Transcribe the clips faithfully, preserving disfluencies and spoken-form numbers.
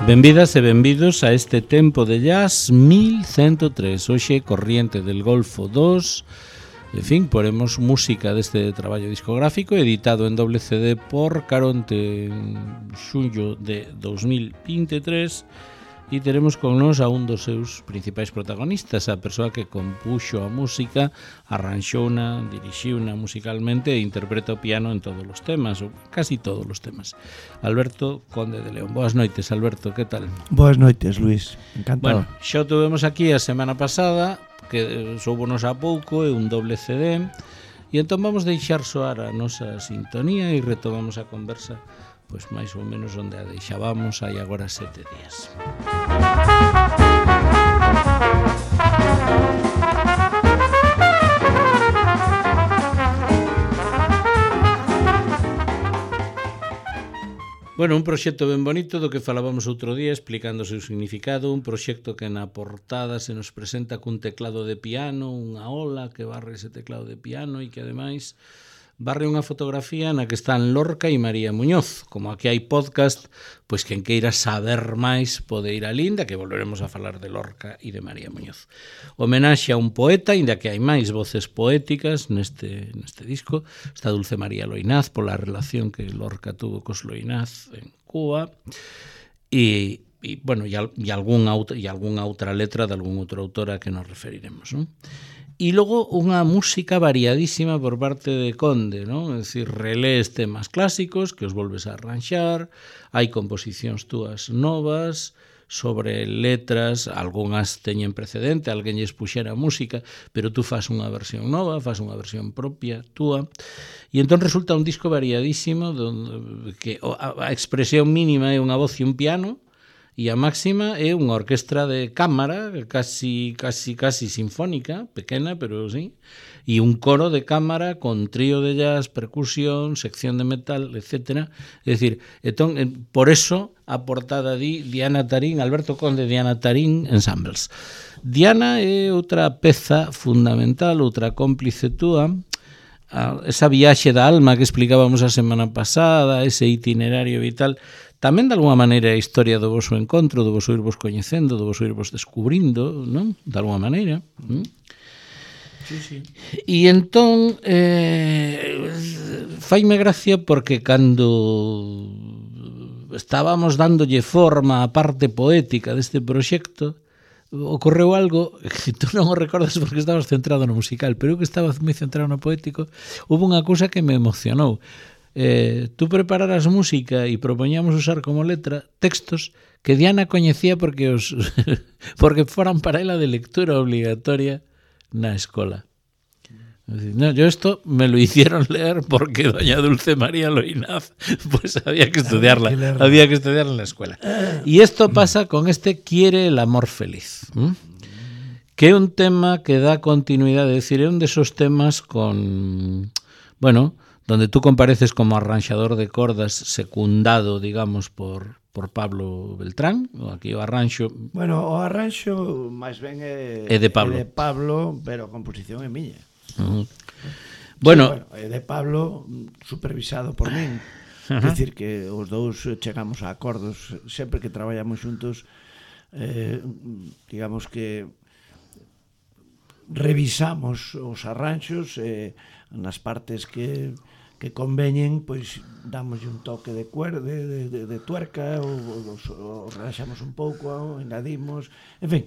Benvidas e benvidos a este tempo de jazz mil ciento tres. Hoxe Corriente del Golfo dos. En fin, poremos música deste traballo discográfico editado en doble C D por Caronte en xullo de dos mil veintitrés. E teremos con nos a un dos seus principais protagonistas, a persoa que compuxo a música, arranxouna, dirixiuna musicalmente e interpreta o piano en todos os temas, ou casi todos os temas. Alberto Conde de León. Boas noites, Alberto, que tal? Boas noites, Luís. Encantado. Bueno, xa o tuvemos aquí a semana pasada, que soubonos a pouco, é un doble C D, e entón vamos deixar soar a nosa sintonía e retomamos a conversa pois máis ou menos onde a deixábamos hai agora sete días. Bueno, un proxecto ben bonito do que falábamos outro día explicando o seu significado, un proxecto que na portada se nos presenta cun teclado de piano, unha ola que barre ese teclado de piano e que ademais barre unha fotografía na que están Lorca e María Muñoz. Como aquí hai podcast, pois quen queira saber máis pode ir a Linda, que volveremos a falar de Lorca e de María Muñoz. Homenaxe a un poeta, inda que hai máis voces poéticas neste, neste disco. Está Dulce María Loinaz, pola relación que Lorca tuvo cos Loinaz en Cuba. E, e bueno, e, e, algunha, e algunha outra letra de algún outro autor a que nos referiremos, non? E logo unha música variadísima por parte de Conde, non? É dicir, relés temas clásicos que os volves a arranxar, hai composicións túas novas sobre letras, algunhas teñen precedente, alguén lles puxera música, pero tú fas unha versión nova, fas unha versión propia túa, e entón resulta un disco variadísimo donde, que a expresión mínima é unha voz e un piano, e a máxima é unha orquestra de cámara, casi, casi, casi sinfónica, pequena, pero sí, e un coro de cámara con trío de jazz, percusión, sección de metal, etcétera. É dicir, entón, por eso a portada di Diana Tarín, Alberto Conde, Diana Tarín Ensembles. Diana é outra peza fundamental, outra cómplice túa, esa viaxe da alma que explicábamos a semana pasada, ese itinerario vital. Tamén, de alguma maneira, a historia do vosso encontro, do vosso irvos coñecendo, do vosso irvos descubrindo, non? De alguma maneira. ¿Mm? Sí, sí. E entón, eh, faime gracia porque cando estábamos dándolle forma á parte poética deste proxecto, ocorreu algo que tú non o recordas porque estabas centrado no musical, pero eu que estaba moi centrado no poético, houve unha cousa que me emocionou. Eh, tú prepararas música e propoñamos usar como letra textos que Diana coñecía porque os porque foran para ela de lectura obligatoria na escola. No, yo esto me lo hicieron leer porque doña Dulce María Loinaz pues había que estudiarla, había que estudiarla en la escuela. Y esto pasa con este Quiere el amor feliz, ¿m? Que é un tema que dá continuidade, é dicir, é un desos temas con, bueno, donde tú compareces como arranxador de cordas secundado, digamos, por, por Pablo Beltrán, o aquí o arranxo... Bueno, o arranxo máis ben é, é de Pablo, é de Pablo, pero a composición é miña. Uh-huh. Bueno, bueno, sí, bueno, é de Pablo supervisado por min. Uh-huh. É dicir que os dous chegamos a acordos sempre que traballamos xuntos, eh, digamos que revisamos os arranxos eh, nas partes que que conveñen, pois damos un toque de cuerda, de, de, de tuerca, ou, ou, ou relaxamos un pouco, ou engadimos, en fin,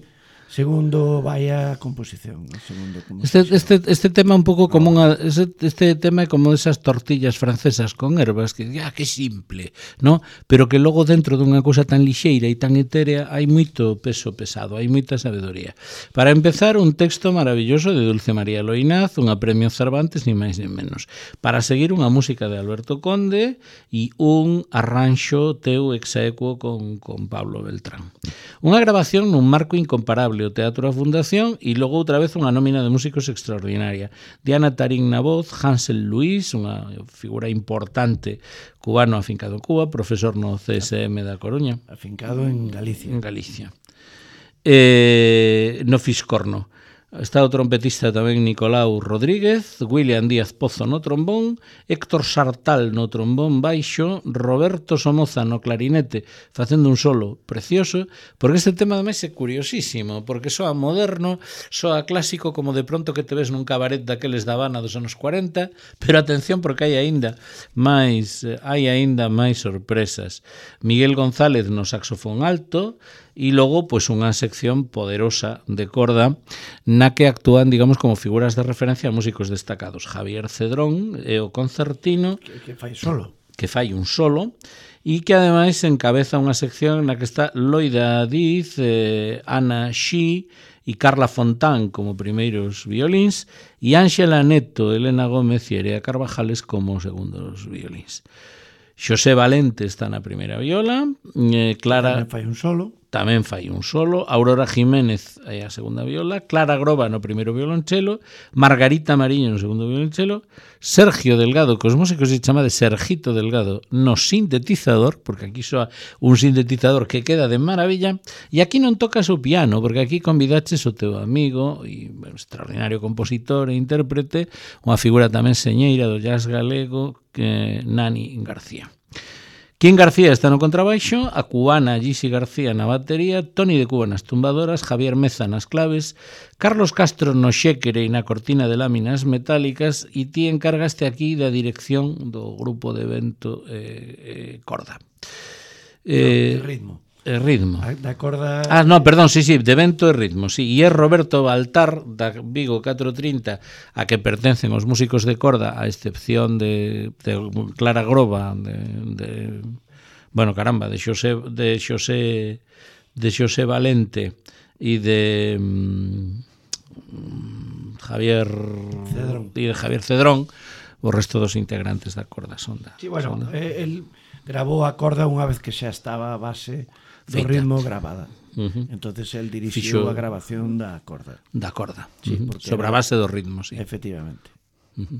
segundo vai a composición, segundo composición. Este, este, este tema un pouco como unha, este, este tema é como esas tortillas francesas con ervas que, ah, que simple, ¿no? Pero que logo dentro dunha cousa tan lixeira e tan etérea hai moito peso pesado, hai moita sabedoría. Para empezar, un texto maravilloso de Dulce María Loinaz, unha premio Cervantes, ni máis ni menos. Para seguir, unha música de Alberto Conde e un arranxo teu execuo con, con Pablo Beltrán. Unha grabación nun marco incomparable, o Teatro da Fundación, e logo outra vez unha nómina de músicos extraordinaria. Diana Tarín na voz, Hansel Luis, unha figura importante cubano afincado en Cuba, profesor no C S M da Coruña. Afincado en Galicia. En Galicia. Eh, no Fiscorno. Está o trompetista tamén Nicolau Rodríguez, William Díaz Pozo no trombón, Héctor Sartal no trombón baixo, Roberto Somoza no clarinete, facendo un solo precioso, porque este tema ademais é curiosísimo, porque soa moderno, soa clásico como de pronto que te ves nun cabaret daqueles da Habana dos anos cuarenta, pero atención porque hai aínda máis, hai aínda máis sorpresas. Miguel González no saxofón alto, e logo pois unha sección poderosa de corda na que actúan, digamos, como figuras de referencia a músicos destacados. Javier Cedrón e o concertino que, que fai solo. Que fai un solo e que ademais encabeza unha sección na que está Loida Diz, eh, Ana Xi e Carla Fontán como primeiros violíns e Ángela Neto, Elena Gómez e Erea Carvajales como segundos violíns. Xosé Valente está na primeira viola, eh, Clara... Tamén fai un solo. Tamén fai un solo, Aurora Jiménez é a segunda viola, Clara Groba no primeiro violonchelo, Margarita Mariño no segundo violonchelo, Sergio Delgado, que os músicos se chama de Sergito Delgado, no sintetizador, porque aquí soa un sintetizador que queda de maravilla, e aquí non tocas o piano, porque aquí convidaches o teu amigo e bueno, extraordinario compositor e intérprete, unha figura tamén señeira do jazz galego, que Nani García. Quín García está no contrabaixo, a cubana Gisi García na batería, Toni de Cuba nas tumbadoras, Javier Meza nas claves, Carlos Castro no xéquere e na cortina de láminas metálicas e ti encargaste aquí da dirección do grupo de vento eh, eh, corda. Eh, no, ritmo. Eh, ritmo. Da corda... Ah, no, perdón, sí, sí, de vento e ritmo, sí. E é Roberto Baltar, da Vigo catro trinta, a que pertencen os músicos de corda, a excepción de, de Clara Groba, de, de bueno, caramba, de Xosé, de Xosé, de Xosé Valente e de um, Javier Cedrón. E de Javier Cedrón, o resto dos integrantes da corda son da. Sí, bueno, son da... el grabou a corda unha vez que xa estaba a base do Feita. ritmo grabada. Uh-huh. Entonces el dirixiu Fixo... a grabación da corda. Da corda. Sí, uh-huh. Sobre a base do ritmo, sí. Efectivamente. Uh-huh.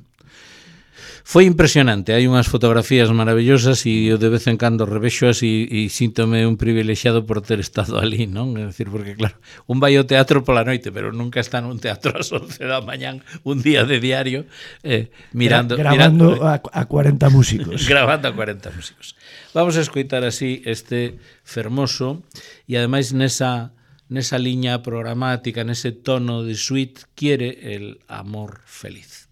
Foi impresionante, hai unhas fotografías maravillosas e eu de vez en cando revexoas e, e síntome un privilexiado por ter estado ali, non? É dicir, porque claro, un vai ao teatro pola noite, pero nunca está nun teatro ás once da mañán, un día de diario, eh, mirando... Gra grabando mirando, a, a cuarenta músicos. Grabando a cuarenta músicos. Vamos a escoitar así este fermoso e ademais nesa, nesa liña programática, nese tono de suite, quiere el amor feliz.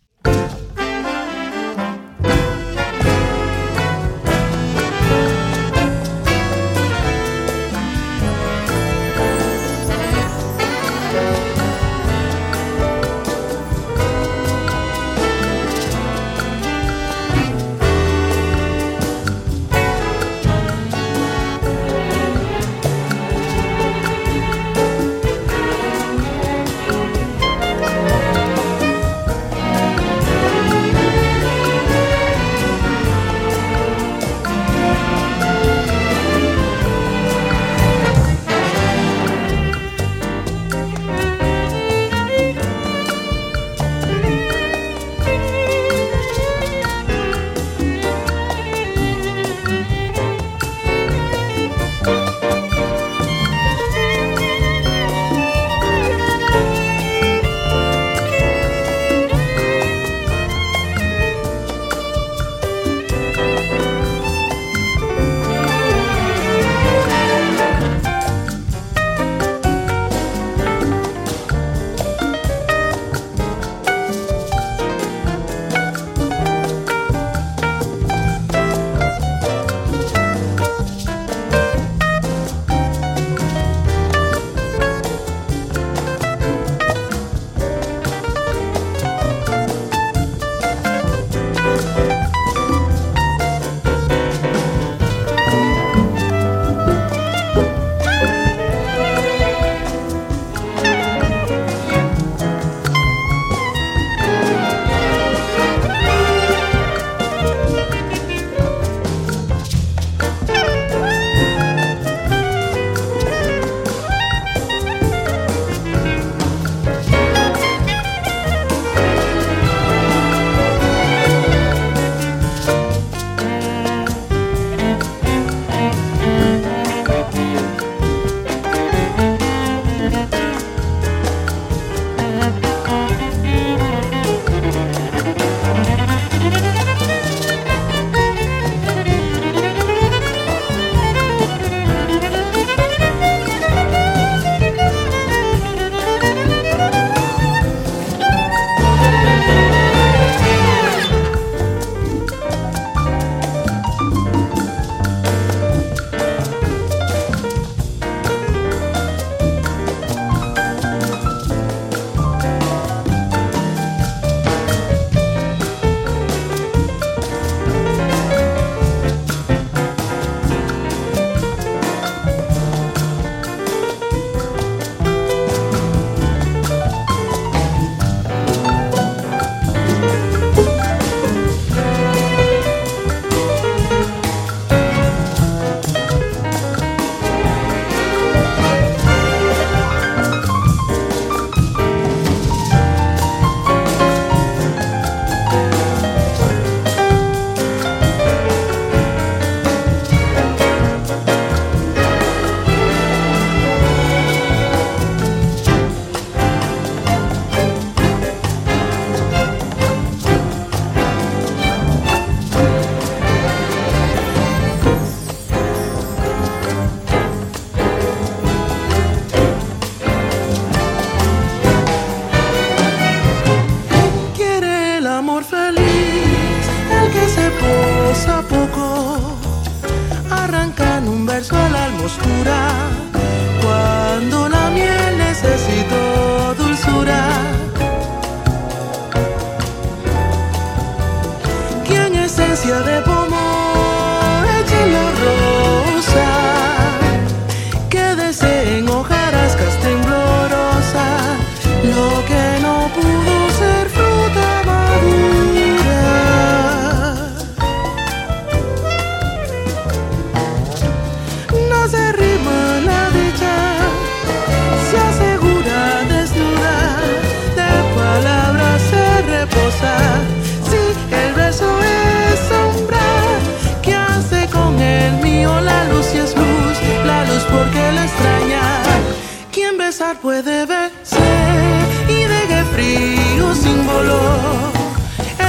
pasar puede vencer y de qué frío símbolo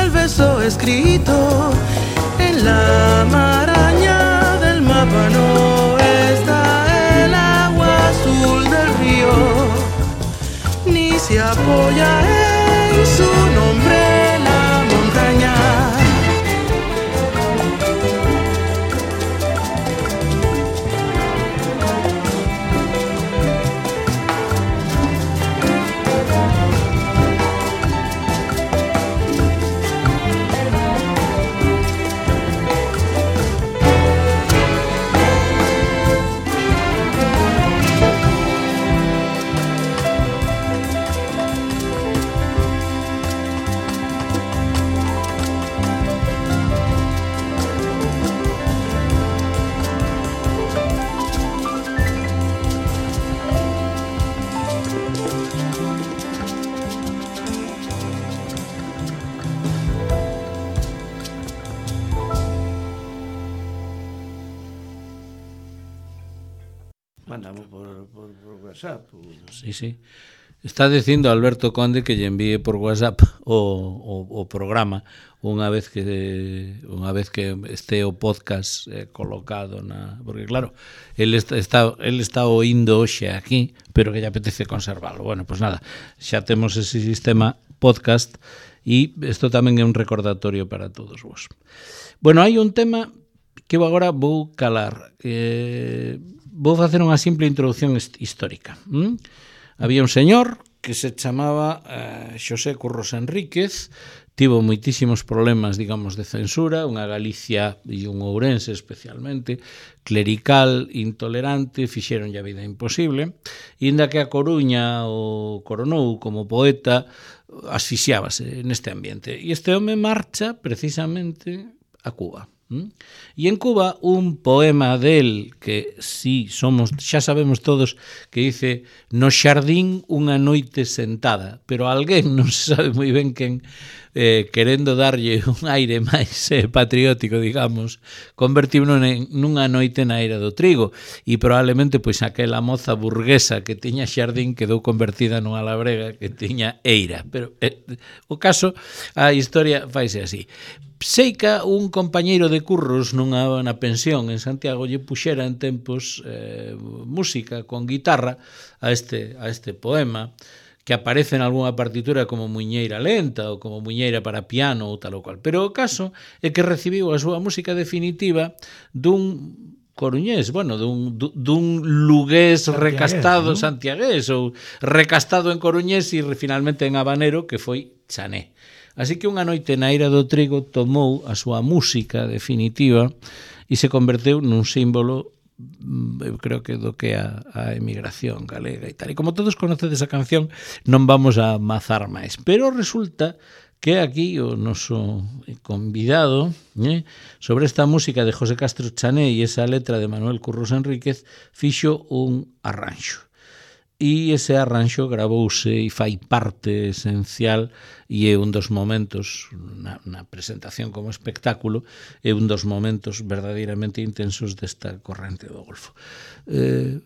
el beso escrito en la maraña del mapa no está el agua azul del río ni se apoya en su nombre la montaña. Mandamos por, por, por WhatsApp. O... Sí, sí. Está dicindo Alberto Conde que lle envíe por WhatsApp o, o, o programa unha vez que unha vez que este o podcast eh, colocado na, porque claro, el está, está el está oindo hoxe aquí, pero que lle apetece conservalo. Bueno, pues nada, xa temos ese sistema podcast e isto tamén é un recordatorio para todos vos. Bueno, hai un tema que agora vou calar. Eh, vou facer unha simple introducción histórica. ¿Mm? Había un señor que se chamaba eh, Xosé Curros Enríquez, tivo moitísimos problemas, digamos, de censura, unha Galicia e un Ourense especialmente, clerical, intolerante, fixeronlle a vida imposible, e inda que a Coruña o coronou como poeta, asfixiábase neste ambiente. E este home marcha precisamente a Cuba. ¿Mm? E en Cuba un poema del que si somos, xa sabemos todos que dice no xardín unha noite sentada, pero alguén non se sabe moi ben quen eh, querendo darlle un aire máis eh, patriótico, digamos, convertíuno en, nunha noite na era do trigo e probablemente pois aquela moza burguesa que tiña xardín quedou convertida nunha labrega que tiña eira, pero eh, o caso, a historia faise así. Seica, un compañeiro de curros nunha na pensión en Santiago lle puxera en tempos eh, música con guitarra a este, a este poema que aparece en algunha partitura como Muiñeira Lenta ou como Muiñeira para piano ou tal ou cual. Pero o caso é que recibiu a súa música definitiva dun coruñés, bueno, dun, dun lugués recastado, ¿no? Santiagués ou recastado en coruñés e finalmente en habanero que foi Chané. Así que unha noite na era do trigo tomou a súa música definitiva e se converteu nun símbolo, eu creo que do que a, a emigración galega e tal. E como todos conocedes a canción, non vamos a mazar máis. Pero resulta que aquí o noso convidado eh, sobre esta música de José Castro Chané e esa letra de Manuel Curros Enríquez fixo un arranxo. E ese arranxo gravouse e fai parte esencial e é un dos momentos na, na presentación como espectáculo é un dos momentos verdadeiramente intensos desta corrente do Golfo. Eh,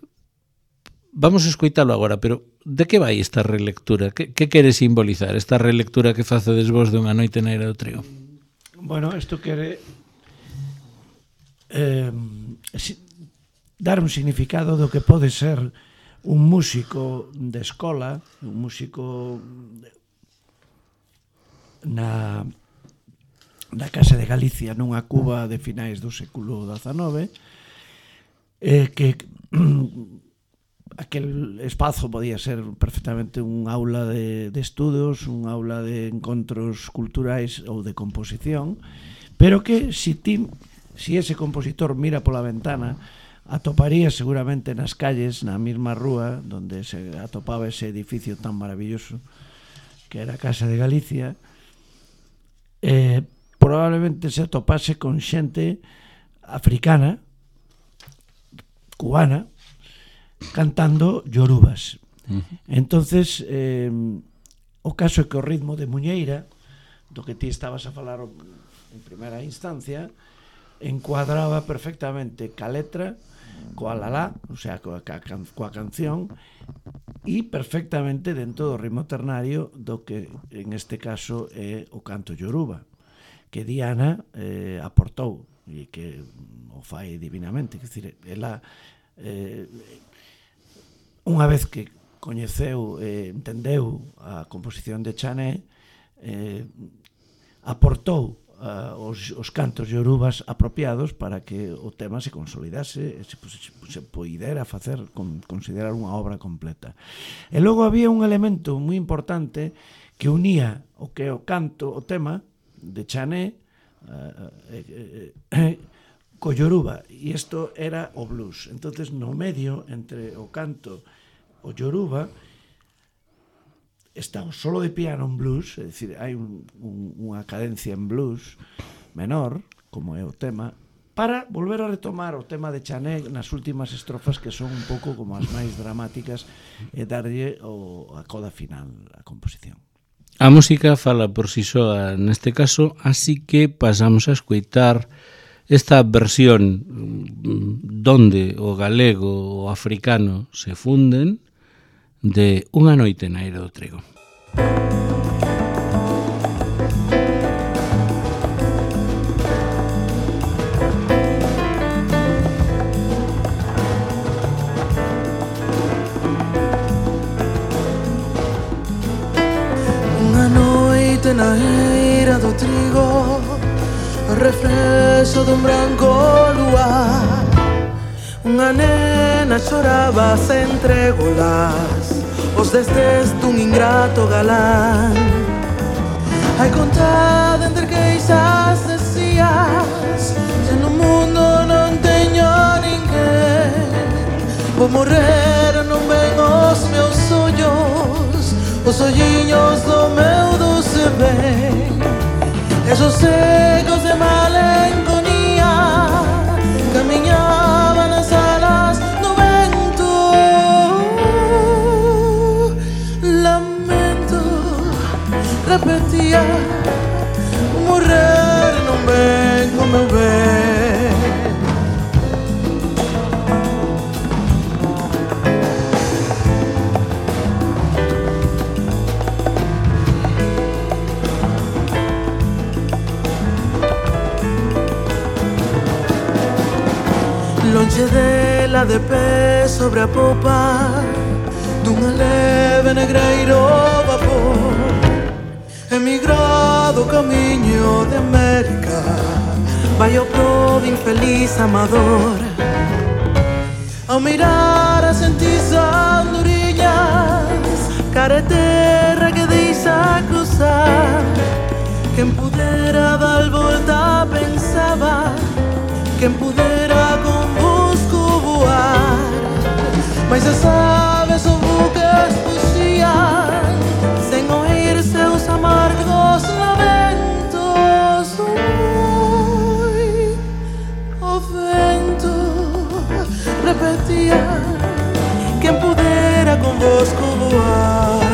vamos a escoitalo agora, pero de que vai esta relectura? Que, que quere simbolizar esta relectura que facedes vos de Unha noite na era do trigo? Bueno, isto quere eh, si, dar un significado do que pode ser un músico de escola, un músico na, na Casa de Galicia nunha Cuba de finais do século dezanove, eh, que aquel espazo podía ser perfectamente un aula de, de estudos, un aula de encontros culturais ou de composición, pero que si, ti, si ese compositor mira pola ventana atoparía seguramente nas calles, na mesma rúa donde se atopaba ese edificio tan maravilloso que era a Casa de Galicia, eh, probablemente se atopase con xente africana, cubana, cantando yorubas. Uh-huh. Entonces, eh, o caso é que o ritmo de Muñeira, do que ti estabas a falar en primeira instancia, encuadraba perfectamente ca letra, coa lalá, o sea, coa, coa, coa canción, e perfectamente dentro do ritmo ternario do que en este caso é o canto yoruba, que Diana eh, aportou e que o fai divinamente. Quer dizer, ela eh, unha vez que coñeceu e eh, entendeu a composición de Chané, eh, aportou uh, os, os cantos yorubas apropiados para que o tema se consolidase e se, se, se poidera facer, con, considerar unha obra completa. E logo había un elemento moi importante que unía o que é o canto, o tema de Chané uh, eh, eh, co yoruba, e isto era o blues. Entonces, no medio entre o canto o yoruba está o solo de piano en blues, é dicir, hai un, un, unha cadencia en blues menor, como é o tema, para volver a retomar o tema de Chané nas últimas estrofas, que son un pouco como as máis dramáticas, e darlle o, a coda final á composición. A música fala por si soa neste caso, así que pasamos a escoitar esta versión donde o galego o africano se funden de Unha noite na Eira do Trigo. Na eira do trigo, o reflexo dun branco luar, unha nena choraba sen trégolas os desdes dun ingrato galán. Hai contado entre queixas decías, se no mundo non teño ninguén, vou morrer, non ven os meus ollos, os olliños do meu doce ben, esos secos de malenconía camiñaban nas alas do vento. Lamento, repetía, morrer non ven o meu ben. Longe dela de pé sobre a popa dunha leve negreiro vapor, emigrado camiño de América, vai o pobre infeliz amador. Ao mirar as sentis andorinhas, cara terra que deixa cruzar, quen pudera dar volta pensaba, quen pudera convosco voar, mas as aves ou buques fuxian sen oír seus amargos lamentos. Ui, o vento repetía, quen pudera convosco voar.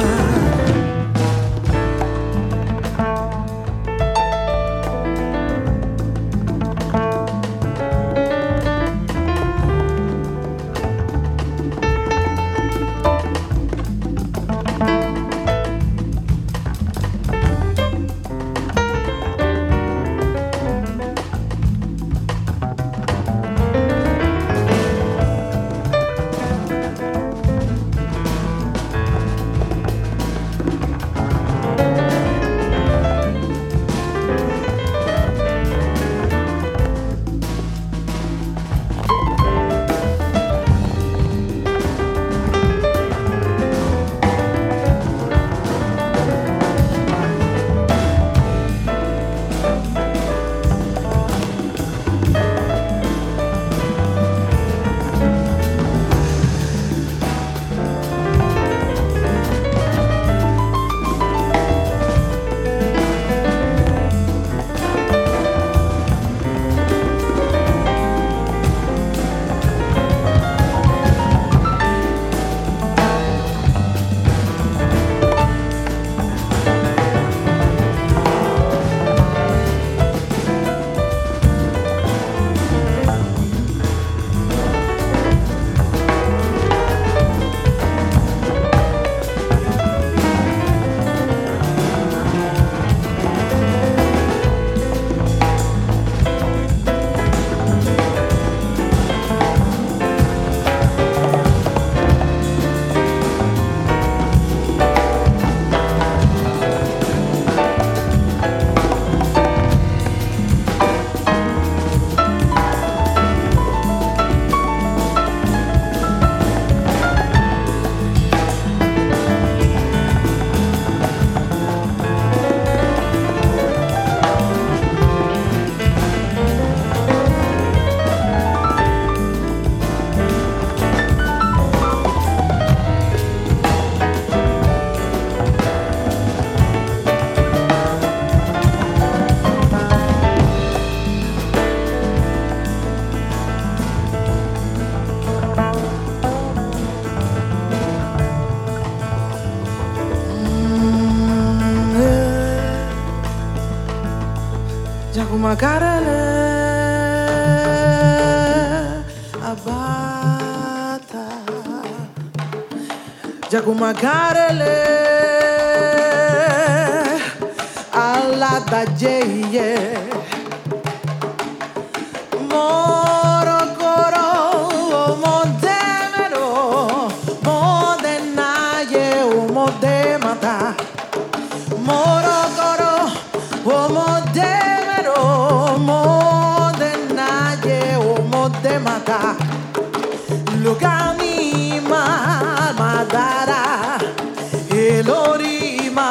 Jacumacarele abata Jacumacarele alla da yeye moro coro modemero modenaye modemata moro coro modemero modenaye modemata lugani madara elorima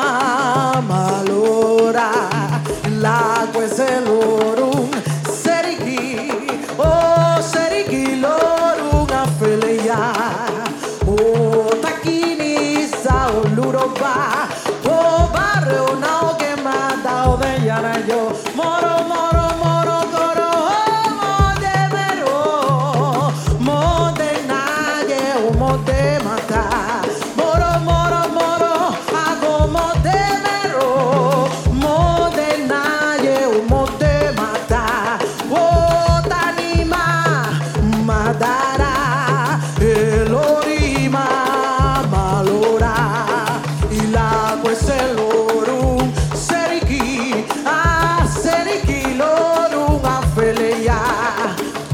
malora la queselorum serigi oh serigi lorum afelia oh takini sa oluroba oh barrio nao que mata o de yana yo moro moro moro coro modemero modenaye o modemata moro moro moro hago modemero modenaye o modemata oh tanima madara elorima malora y la queselorum seriki ah seriki lorum afelia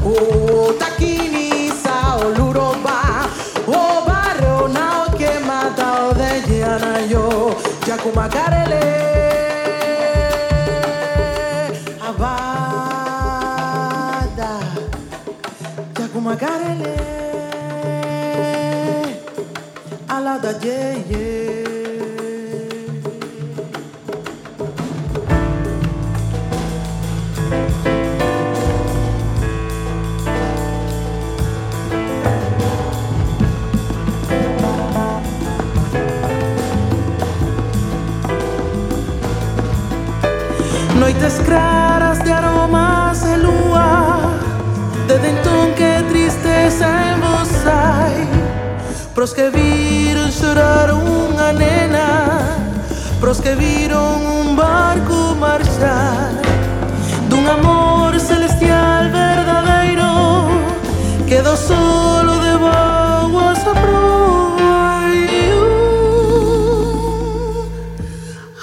oh takini sa oluroba oh barrio nao que mata o de yana yo Jacumacarele abada Jacumacarele ala da yeye Noites claras de aromas de lua de dentón que tristeza en vos hai pros que viron chorar unha nena pros que viron un barco marchar dun amor celestial verdadeiro quedou solo de voas a proa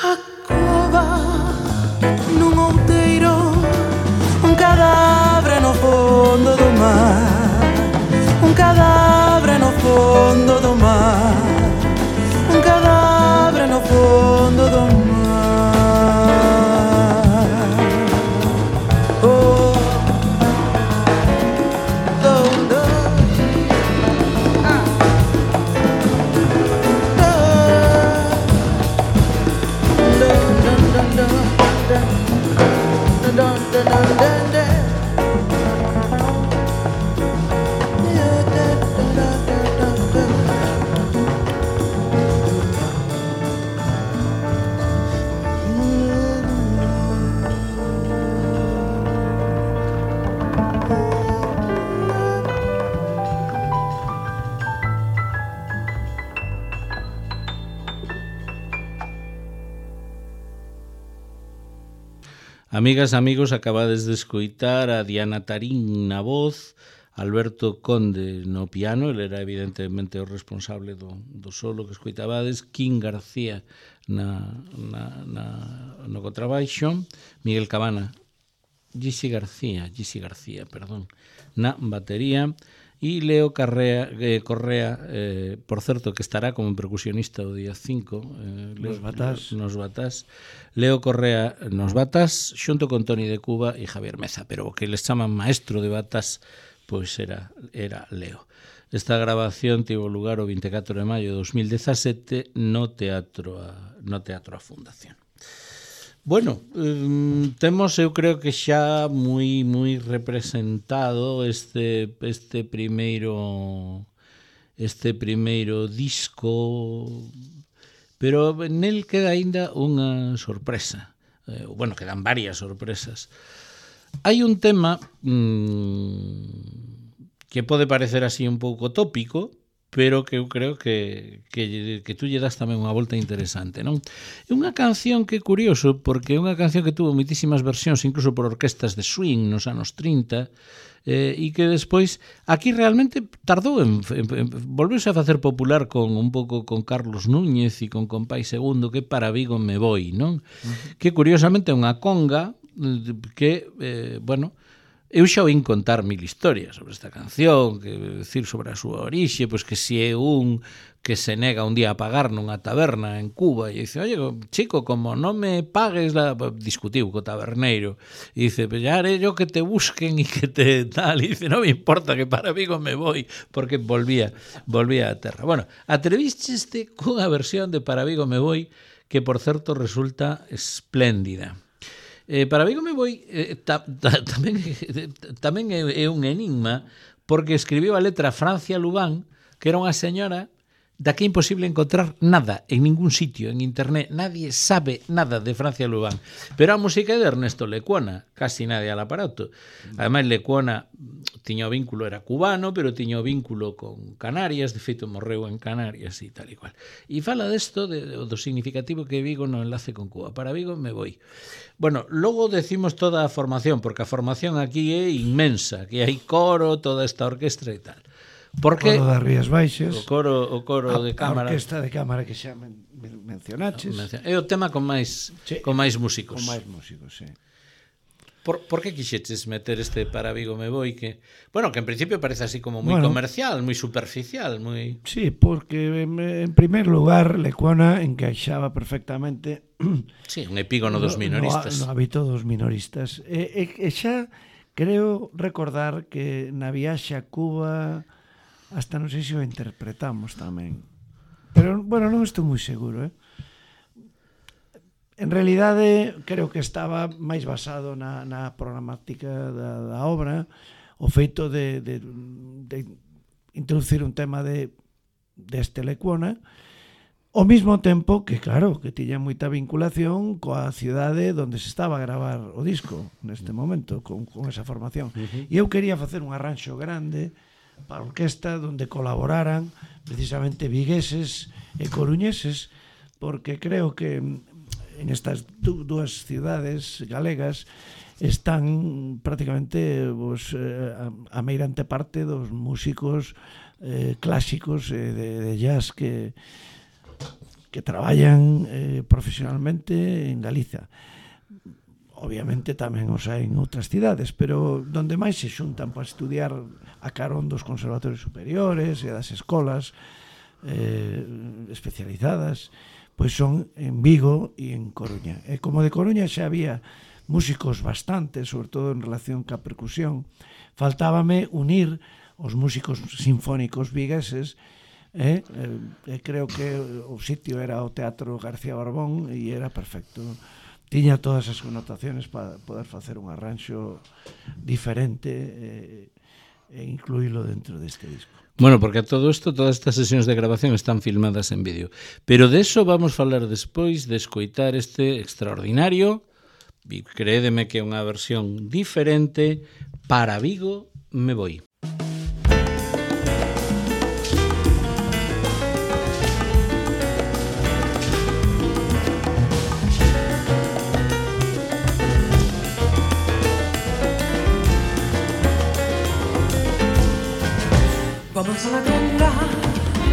a cova nun outeiro un cadáver no fondo do mar un cadáver no fondo do mar un cadáver no fondo do mar oh do do ah do do do do do do do do do Amigas, amigos, acabades de escoitar a Diana Tarín na voz, Alberto Conde no piano, ele era evidentemente o responsable do, do solo que escoitabades, Quín García na, na, na, no contrabaixo, Miguel Cabana, Gisi García, Gisi García, perdón, na batería, e Leo Carrea, eh, Correa, eh, por certo, que estará como percusionista o día cinco, eh, nos batás. Nos batás. Leo Correa nos batás, xunto con Toni de Cuba e Javier Meza, pero o que les chaman maestro de batás, pois era, era Leo. Esta grabación tivo lugar o vinte e catro de maio de dos mil dezasete no Teatro a, no Teatro a Fundación. Bueno, eh, temos, eu creo que xa moi moi representado este este primeiro este primeiro disco, pero nel queda aínda unha sorpresa. Eh, bueno, quedan varias sorpresas. Hai un tema mmm, que pode parecer así un pouco tópico, pero que eu creo que, que, que tú lle das tamén unha volta interesante, non? É unha canción que é curioso, porque é unha canción que tuvo moitísimas versións, incluso por orquestas de swing nos anos trinta, eh, e que despois aquí realmente tardou en, en, en volveuse a facer popular con un pouco con Carlos Núñez e con Compay Segundo, que Para Vigo me voi, non? Uh-huh. Que curiosamente é unha conga que, eh, bueno, eu xa oín contar mil historias sobre esta canción, que decir sobre a súa orixe, pois que si é un que se nega un día a pagar nunha taberna en Cuba e dice, oye, chico, como non me pagues la... discutiu co taberneiro e dice, pues ya haré yo que te busquen e que te tal, e dice, non me importa que para Vigo me voy, porque volvía volvía a terra. Bueno, atrevísteste cunha versión de Para Vigo me voy que, por certo, resulta espléndida. Eh, para Vigo me voi eh, ta, ta, tamén, tamén é, é un enigma, porque escribiu a letra Francia Lubán, que era unha señora da que é imposible encontrar nada en ningún sitio, en internet. Nadie sabe nada de Francia Lubán. Pero a música é de Ernesto Lecuona, casi nadie al aparato. Ademais, Lecuona tiña o vínculo, era cubano, pero tiña o vínculo con Canarias, de feito morreu en Canarias e tal e cual. E fala desto, de, do significativo que Vigo no enlace con Cuba. Para Vigo me voi. Bueno, logo decimos toda a formación, porque a formación aquí é inmensa, que hai coro, toda esta orquestra e tal. Porque o coro das Rías Baixas, o coro, o coro a, de cámara, a orquesta de cámara que xa men, mencionaches. É o tema con máis sí, con máis músicos. Con máis músicos, sí. Por, por que quixeches meter este Para Vigo me voi que, bueno, que en principio parece así como moi bueno, comercial, moi superficial, moi... Sí, porque en, en primer lugar Lecuona encaixaba perfectamente sí, un epígono dos minoristas. No, no hábito dos minoristas. E, e, e xa creo recordar que na viaxe a Cuba hasta non sei se o interpretamos tamén. Pero, bueno, non estou moi seguro, eh? En realidade, creo que estaba máis basado na, na programática da, da obra, o feito de, de, de introducir un tema de deste Lecuona, ao mesmo tempo que, claro, que tiña moita vinculación coa cidade onde se estaba a gravar o disco neste momento, con, con esa formación. Uh-huh. E eu quería facer un arranxo grande para a orquesta onde colaboraran precisamente vigueses e coruñeses, porque creo que en estas dúas cidades galegas están prácticamente pues, a, a meirante parte dos músicos eh, clásicos eh, de, de jazz que, que traballan eh, profesionalmente en Galiza. Obviamente tamén os hai en outras cidades, pero donde máis se xuntan para estudiar a carón dos conservatorios superiores e das escolas eh, especializadas, pois son en Vigo e en Coruña. E como de Coruña xa había músicos bastantes, sobre todo en relación ca percusión, faltábame unir os músicos sinfónicos vigueses, e eh, eh, creo que o sitio era o Teatro García Barbón e era perfecto. Tiña todas as connotaciones para poder facer un arranxo diferente e, e incluílo dentro deste disco. Bueno, porque a todo isto, todas estas sesións de grabación están filmadas en vídeo. Pero de eso vamos falar despois de escoitar este extraordinario, e créedeme que é unha versión diferente, Para Vigo me voi. Vamos a la tienda,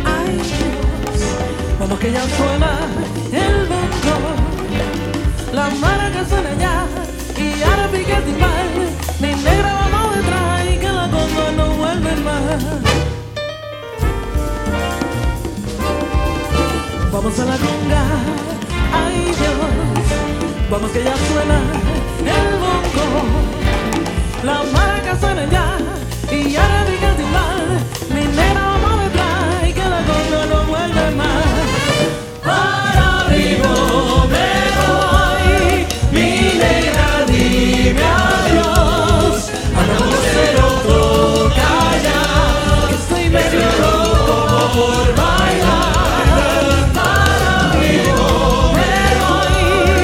ay Dios, vamos que ya suena el bongo, la maraca suena ya y ahora pica el timbal, mi negra vamos detrás y que la conga no vuelve más. Vamos a la tienda, ay Dios, vamos que ya suena el bongo, la maraca suena ya y ahora pica el timbal. Mi negra vamos detrás y que la conga no vuelve más. Para Vigo me voy, mi negra dime adiós. Anda cero toca ya, que estoy medio loco por bailar. Para Vigo me voy,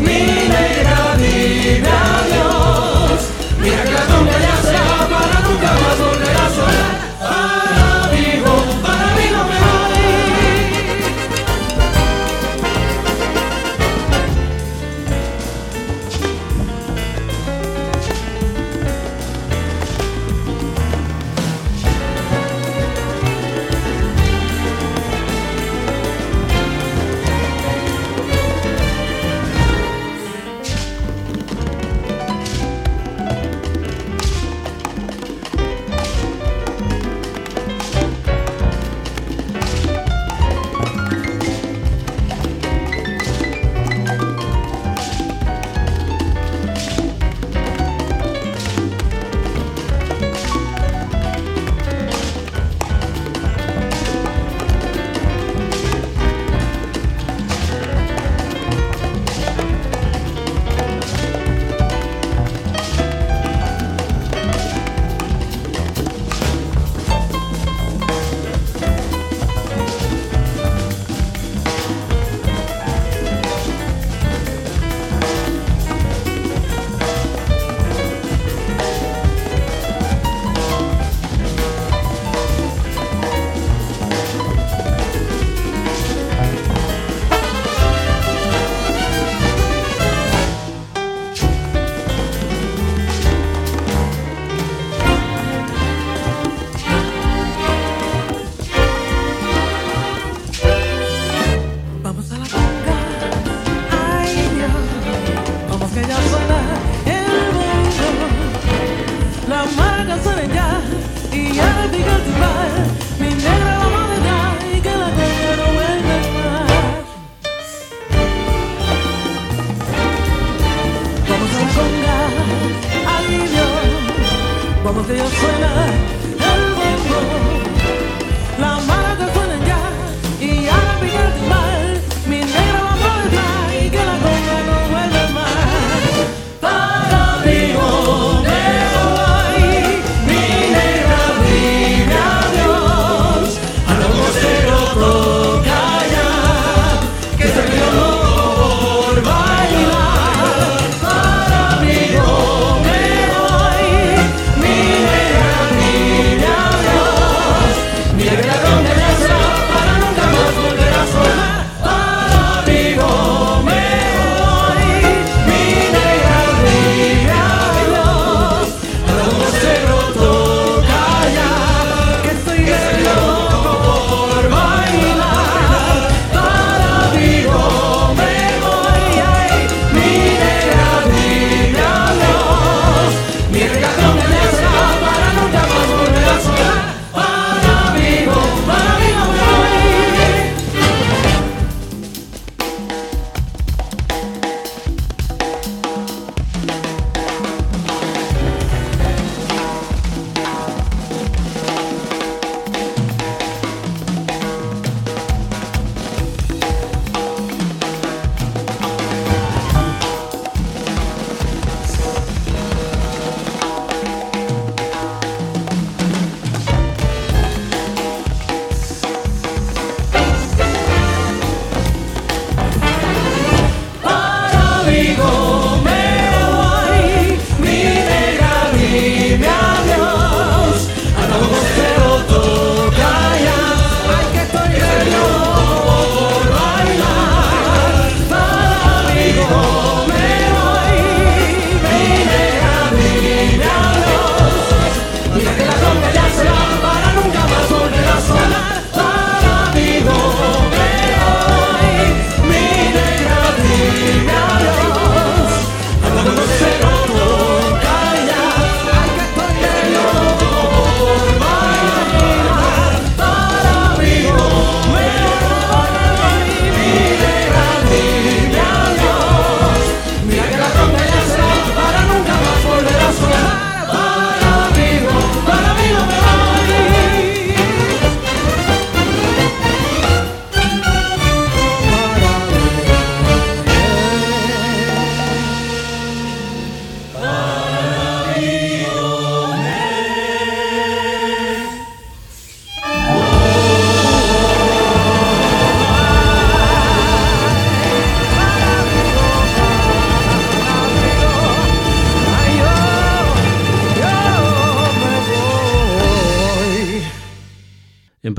mi negra dime adiós. Mira que la conga ya se va para nunca más volver.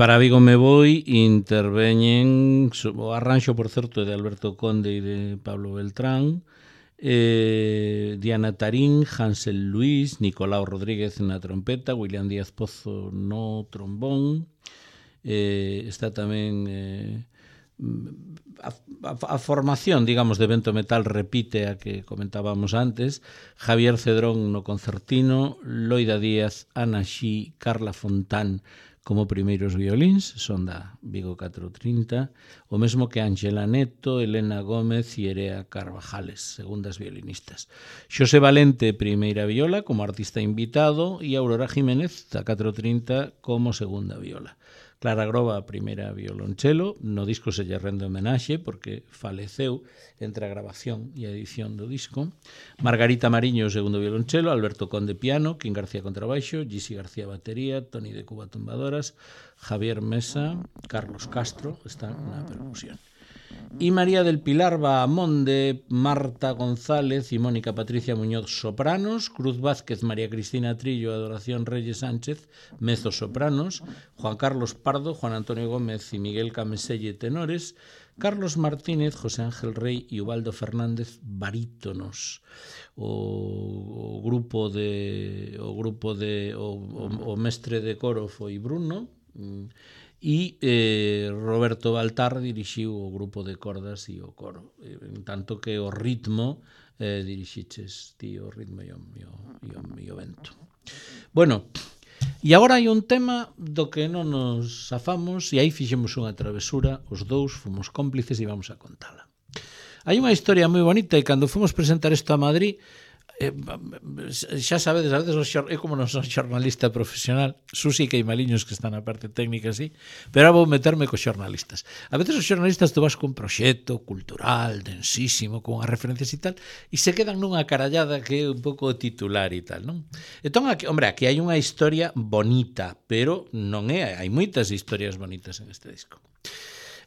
para Vigo me voi interveñen o arranxo, por certo, de Alberto Conde e de Pablo Beltrán, eh, Diana Tarín, Hansel Luis, Nicolau Rodríguez na trompeta, William Díaz Pozo no trombón, eh, está tamén eh, a, a, a formación, digamos, de Vento Metal repite a que comentábamos antes, Javier Cedrón no concertino, Loida Díaz, Ana Xí, Carla Fontán como primeiros violíns, son da Vigo catro trinta, o mesmo que Ángela Neto, Elena Gómez e Erea Carvajales, segundas violinistas. Xosé Valente, primeira viola, como artista invitado, e Aurora Jiménez, da catro trinta, como segunda viola. Clara Groba, primeira violonchelo, no disco se lle rende homenaxe porque faleceu entre a grabación e a edición do disco. Margarita Mariño, segundo violonchelo, Alberto Conde piano, Quín García contrabaixo, Gisi García batería, Toni de Cuba tumbadoras, Javier Mesa, Carlos Castro están na percusión. Y María del Pilar Bahamonde, Marta González y Mónica Patricia Muñoz sopranos, Cruz Vázquez, María Cristina Trillo, Adoración Reyes Sánchez, mezzo sopranos, Juan Carlos Pardo, Juan Antonio Gómez y Miguel Cameselle tenores, Carlos Martínez, José Ángel Rey y Ubaldo Fernández barítonos. O, o grupo de o grupo de o, o, o mestre de coro foi Bruno, e eh, Roberto Baltar dirixiu o grupo de cordas e o coro, en tanto que o ritmo eh, dirixiches ti o ritmo e o, e o, e o, e o vento. Bueno, e agora hai un tema do que non nos afamos, e aí fixemos unha travesura, os dous fomos cómplices e vamos a contala. Hai unha historia moi bonita e cando fomos presentar isto a Madrid, Eh, xa sabedes, a veces eu como non son xornalista profesional, Susi e Queimaliños que están na parte técnica así, pero vou meterme cos xornalistas. A veces os xornalistas tú vas cun proxecto cultural, densísimo, con as referencias e tal, e se quedan nunha carallada que é un pouco titular e tal, non? Entón, aquí, hombre, aquí hai unha historia bonita, pero non é, hai moitas historias bonitas en este disco.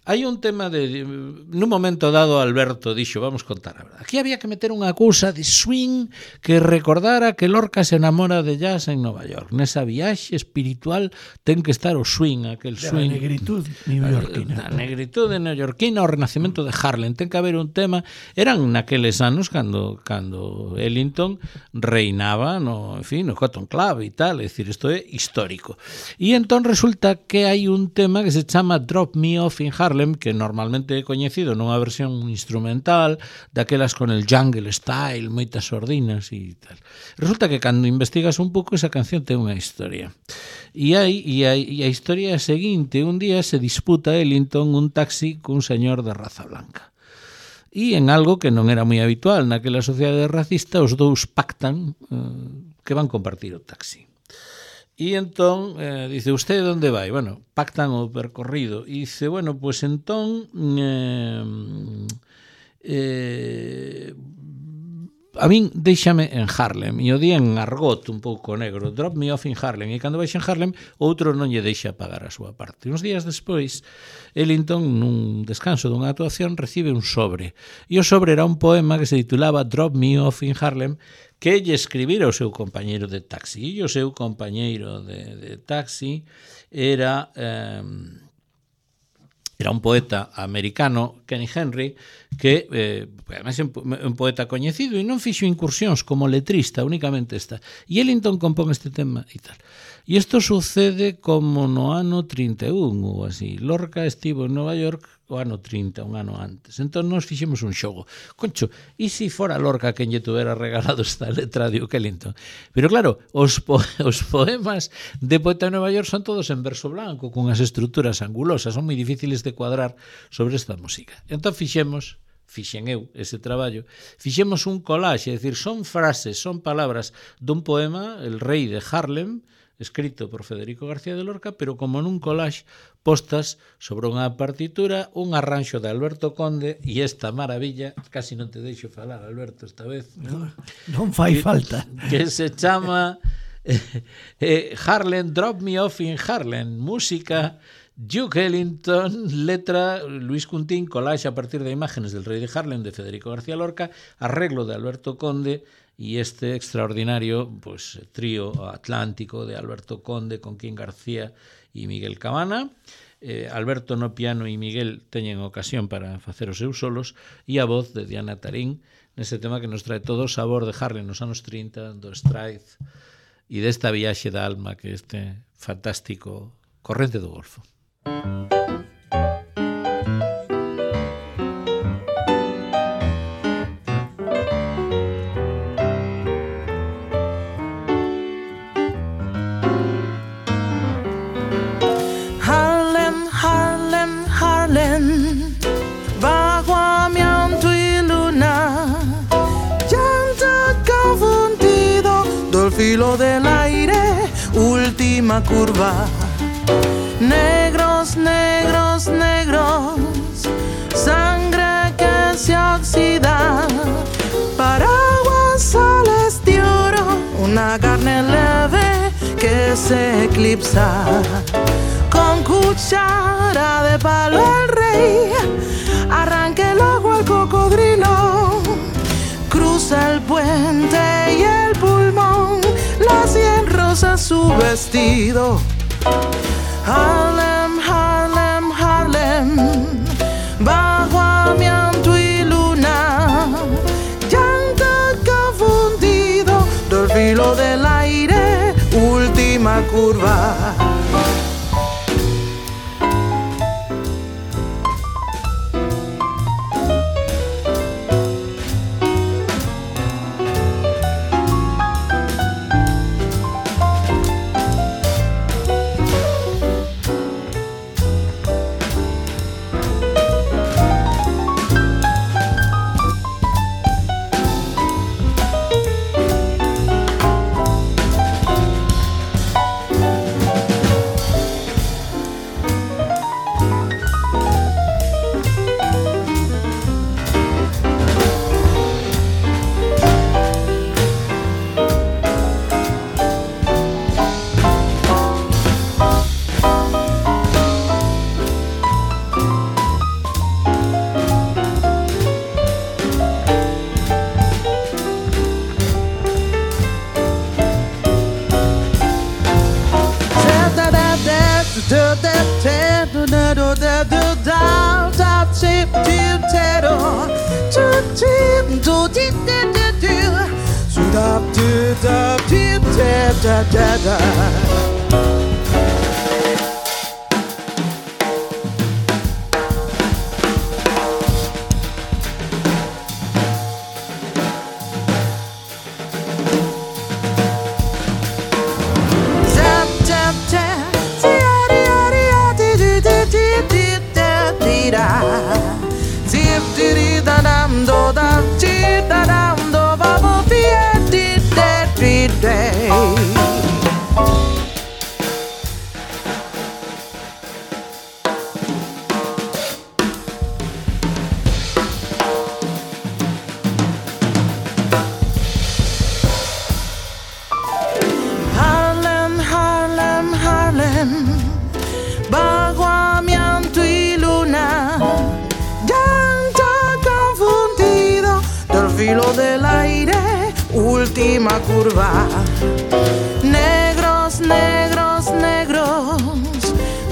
Hai un tema de... Nun momento dado Alberto dixo, vamos contar a verdade, aquí había que meter unha cousa de swing que recordara que Lorca se enamora de jazz en Nova York. Nesa viaxe espiritual ten que estar o swing, aquel swing... A negritud neoyorquina. A negritude neoyorquina, o renacemento de Harlem. Ten que haber un tema... Eran naqueles anos cando cando Ellington reinaba no, en fin, no Cotton Club e tal, é dicir, isto é histórico. E entón resulta que hai un tema que se chama Drop Me Off in Harlem, que normalmente é coñecido nunha versión instrumental, daquelas con el jungle style, moitas sordinas e tal. Resulta que cando investigas un pouco esa canción ten unha historia. E, hai, e, hai, e a historia é a seguinte, un día se disputa Ellington un taxi cun señor de raza blanca. E en algo que non era moi habitual naquela sociedade racista, os dous pactan eh, que van compartir o taxi. E entón, eh, dice, usted onde vai? Bueno, pactan o percorrido. E dice, bueno, pues entón eh, eh, a min déixame en Harlem. E o día en argot un pouco negro, drop me off in Harlem. E cando baixa en Harlem, outro non lle deixa pagar a súa parte. Uns días despois, Ellington, nun descanso dunha actuación, recibe un sobre. E o sobre era un poema que se titulaba Drop Me Off in Harlem, que lle escribira o seu compañeiro de taxi. E o seu compañeiro de, de taxi era eh, era un poeta americano, Kenny Henry, que eh, además é un poeta coñecido e non fixo incursións como letrista, únicamente esta. E Ellington compón este tema e tal. E isto sucede como no ano trinta e un ou así. Lorca estivo en Nova York o ano trinta, un ano antes. Entón nos fixemos un xogo. Concho, e se fora Lorca quen lle tuvera regalado esta letra de Ellington? Pero claro, os, po os poemas de poeta de Nova York son todos en verso blanco, con as estruturas angulosas, son moi difíciles de cuadrar sobre esta música. Entón fixemos fixen eu ese traballo, fixemos un collage, é dicir, son frases, son palabras dun poema, El rei de Harlem, escrito por Federico García de Lorca, pero como nun collage postas sobre unha partitura, un arranxo de Alberto Conde e esta maravilla, casi non te deixo falar, Alberto, esta vez. Non, non fai que, falta. Que se chama eh, eh, Harlem, Drop Me Off in Harlem, música Duke Ellington, letra Luis Cuntín, collage a partir de imágenes del rei de Harlem de Federico García Lorca, arreglo de Alberto Conde y este extraordinario pues trío atlántico de Alberto Conde con Quín García e Miguel Cabana. Eh, Alberto no piano e Miguel teñen ocasión para facer os seus solos, e a voz de Diana Tarín nese tema que nos trae todo o sabor de Harlem nos anos trinta, do Stride e desta viaxe da alma que este fantástico Corrente do Golfo. Filo del aire, última curva. Negros, negros, negros, sangre que se oxida. Paraguas, soles de oro, una carne leve que se eclipsa. Con cuchara de palo el rey arranca el ojo al cocodrilo. Cruza el puente y el pulmón, la sien rosa su vestido. Harlem, Harlem, Harlem, bajo amianto y luna, llanto confundido del filo del aire, última curva. Última curva. Negros, negros, negros,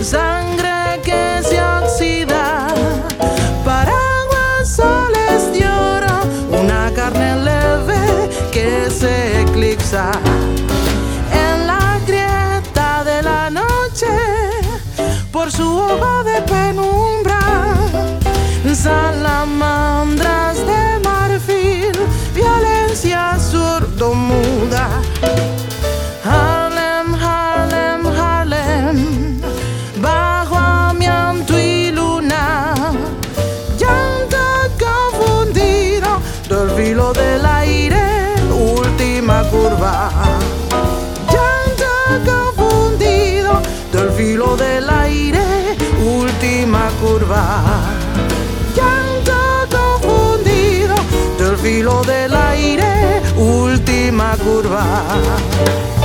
sangre que se oxida. Paraguas, soles de oro, una carne leve que se eclipsa. En la grieta de la noche, por su ojo de penumbra, salamandras de marfil, violencia sordomuda. Harlem, Harlem, Harlem, bajo amianto y luna, llanto confundido del filo del aire, última curva. Llanto confundido del filo del aire, última curva. Llanto confundido del filo del aire, última curva.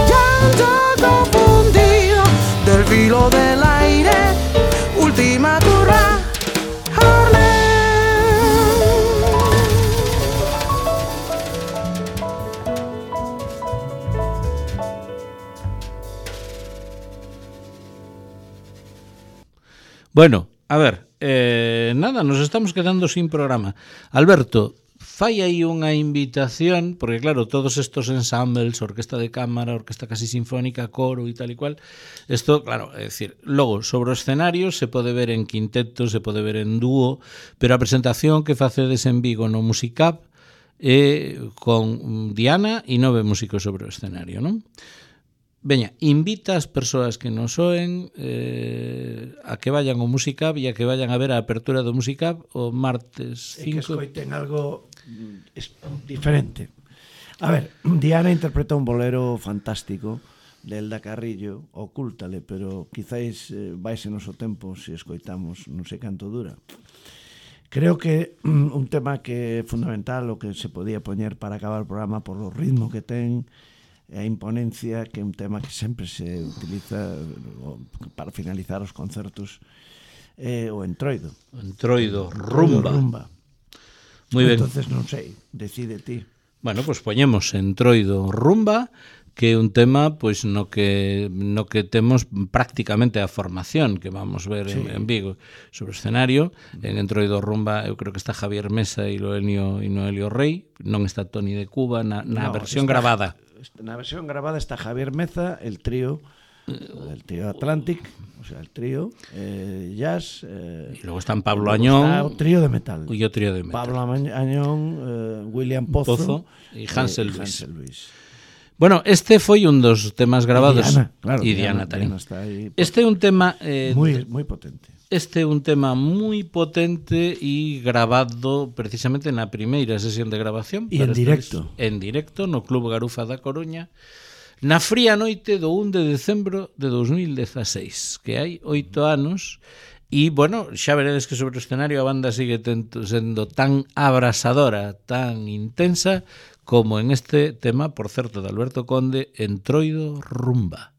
Llanto confundido del filo del aire, última curva. Harlem. Bueno, a ver, eh, nada, nos estamos quedando sin programa. Alberto, fai aí unha invitación, porque claro, todos estos ensembles, orquesta de cámara, orquesta casi sinfónica, coro e tal e cual, isto, claro, é dicir, logo, sobre o escenario se pode ver en quinteto, se pode ver en dúo, pero a presentación que facedes en Vigo no Musicap é con Diana e nove músicos sobre o escenario, non? Veña, invita as persoas que nos oen eh, a que vayan ao Musicap e a que vayan a ver a apertura do Musicap o martes cinco. E que escoiten algo diferente. A ver, Diana interpreta un bolero fantástico de Elda Carrillo, ocúltale, pero quizáis eh, vaise noso tempo se escoitamos, non sei canto dura. Creo que um, un tema que é fundamental, o que se podía poñer para acabar o programa por o ritmo que ten, a imponencia, que é un tema que sempre se utiliza para finalizar os concertos, é o entroido. O entroido, rumba. rumba. Muy ben. Entonces non sei, decide ti. Bueno, pois pues poñemos entroido, rumba, que é un tema pois no que no que temos prácticamente a formación que vamos ver sí. en, en Vigo sobre o escenario. En entroido, rumba, eu creo que está Javier Mesa e Noelio e Noelio Rey, non está Toni de Cuba na, na no, versión está, gravada. Na versión grabada está Javier Meza, el trío, el trío Atlantic, o sea, el trío eh, jazz. Eh, y luego están Pablo Añón. Está o trío de metal. Y o trío de metal. Pablo Añón, eh, William Pozo, Pozo y Hansel, eh, Luis. Hansel Luis. Bueno, este foi un dos temas grabados. Y Diana, claro. Y Diana, Diana tamén. Diana está ahí, este é un tema... Eh, muy, muy potente. Este é un tema moi potente e grabado precisamente na primeira sesión de grabación. E en directo. En directo no Club Garufa da Coruña, na fría noite do un de decembro de dos mil dezaseis, que hai oito anos, e, bueno, xa veredes que sobre o escenario a banda sigue tento, sendo tan abrasadora, tan intensa, como en este tema, por certo, de Alberto Conde, Entroido, rumba.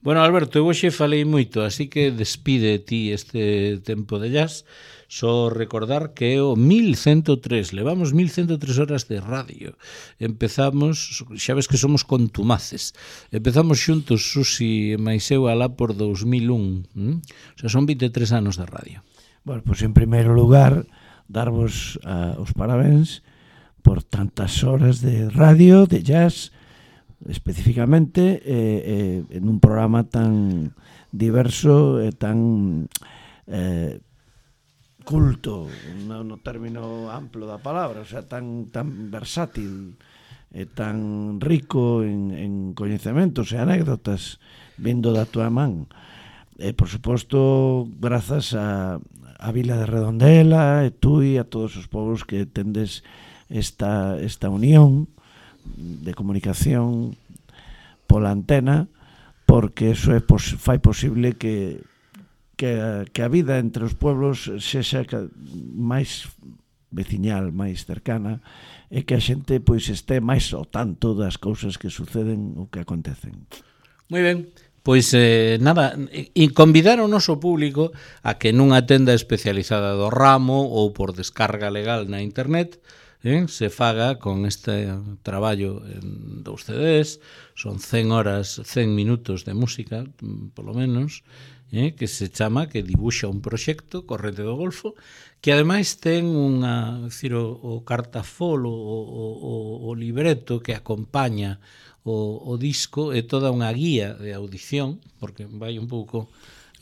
Bueno, Alberto, eu hoxe falei moito, así que despide ti este tempo de jazz. Só recordar que é o mil ciento tres, levamos mil ciento tres horas de radio. Empezamos, xa ves que somos contumaces, empezamos xuntos, Susi e máis eu, alá por dos mil un. ¿Mm? O sea, son vinte e tres anos de radio. Bueno, pois pues en primeiro lugar, darvos uh, os parabéns por tantas horas de radio, de jazz, especificamente eh, eh, en un programa tan diverso e tan eh, culto, no, no término amplo da palabra, o sea, tan, tan versátil e tan rico en, en coñecementos e anécdotas vindo da tua man. E, por suposto, grazas a, a Vila de Redondela e tú e a todos os povos que tendes esta, esta unión de comunicación pola antena, porque eso é pos, fai posible que, que, a, que a vida entre os pueblos sexa máis veciñal, máis cercana, e que a xente pois este máis ao tanto das cousas que suceden ou que acontecen. Moi ben, Pois, eh, nada, e convidar ao noso público a que nunha tenda especializada do ramo ou por descarga legal na internet eh, se faga con este traballo en dous C Ds, son cen horas, cen minutos de música, polo menos, eh, que se chama, que dibuxa un proxecto, Corrente do Golfo, que ademais ten unha, decir, o, o cartafolo, o, o, o libreto que acompaña o, o disco, é toda unha guía de audición, porque vai un pouco...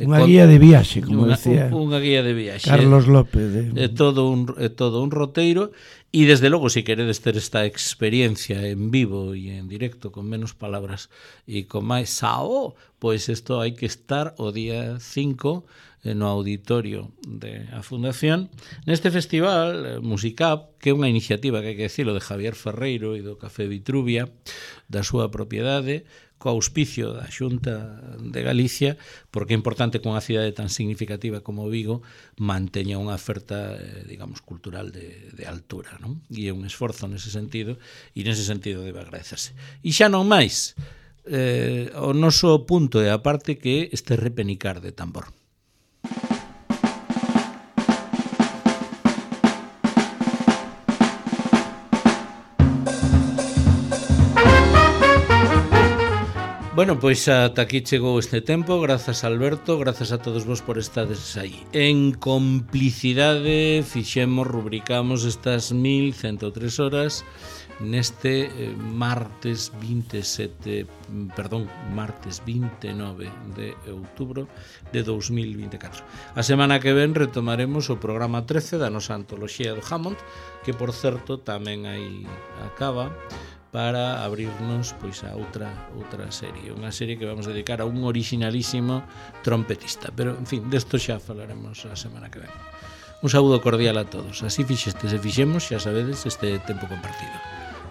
Unha guía de viaxe, como unha, decía unha guía de viaxe. Carlos López. De... É todo un, é todo un roteiro, e desde logo, se queredes ter esta experiencia en vivo e en directo, con menos palabras e con máis sao, pois isto hai que estar o día cinco no auditorio de a Fundación, neste festival Musicap, que é unha iniciativa, que hai que decirlo, de Javier Ferreiro e do Café Vitruvia, da súa propiedade, co auspicio da Xunta de Galicia, porque é importante que unha cidade tan significativa como Vigo manteña unha oferta, eh, digamos, cultural de, de altura, non? E é un esforzo nese sentido, e nese sentido debe agradecerse. E xa non máis, eh, o noso punto é a parte que este repenicar de tambor. Bueno, pois ata aquí chegou este tempo. Grazas, Alberto, grazas a todos vos por estades aí. En complicidade fixemos, rubricamos estas mil ciento tres horas neste eh, martes vinte e sete, perdón, martes vinte e nove de outubro de dous mil vinte e catro. A semana que ven retomaremos o programa trece da nosa antoloxía do Hammond, que por certo tamén aí acaba, para abrirnos pois a outra outra serie, unha serie que vamos a dedicar a un originalísimo trompetista, pero en fin, desto xa falaremos a semana que ven. Un saúdo cordial a todos. Así fixestes e fixemos, xa sabedes, este tempo compartido,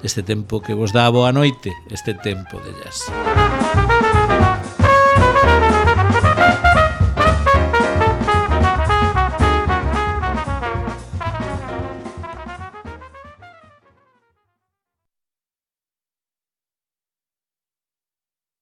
este tempo que vos dá a boa noite, este tempo de jazz.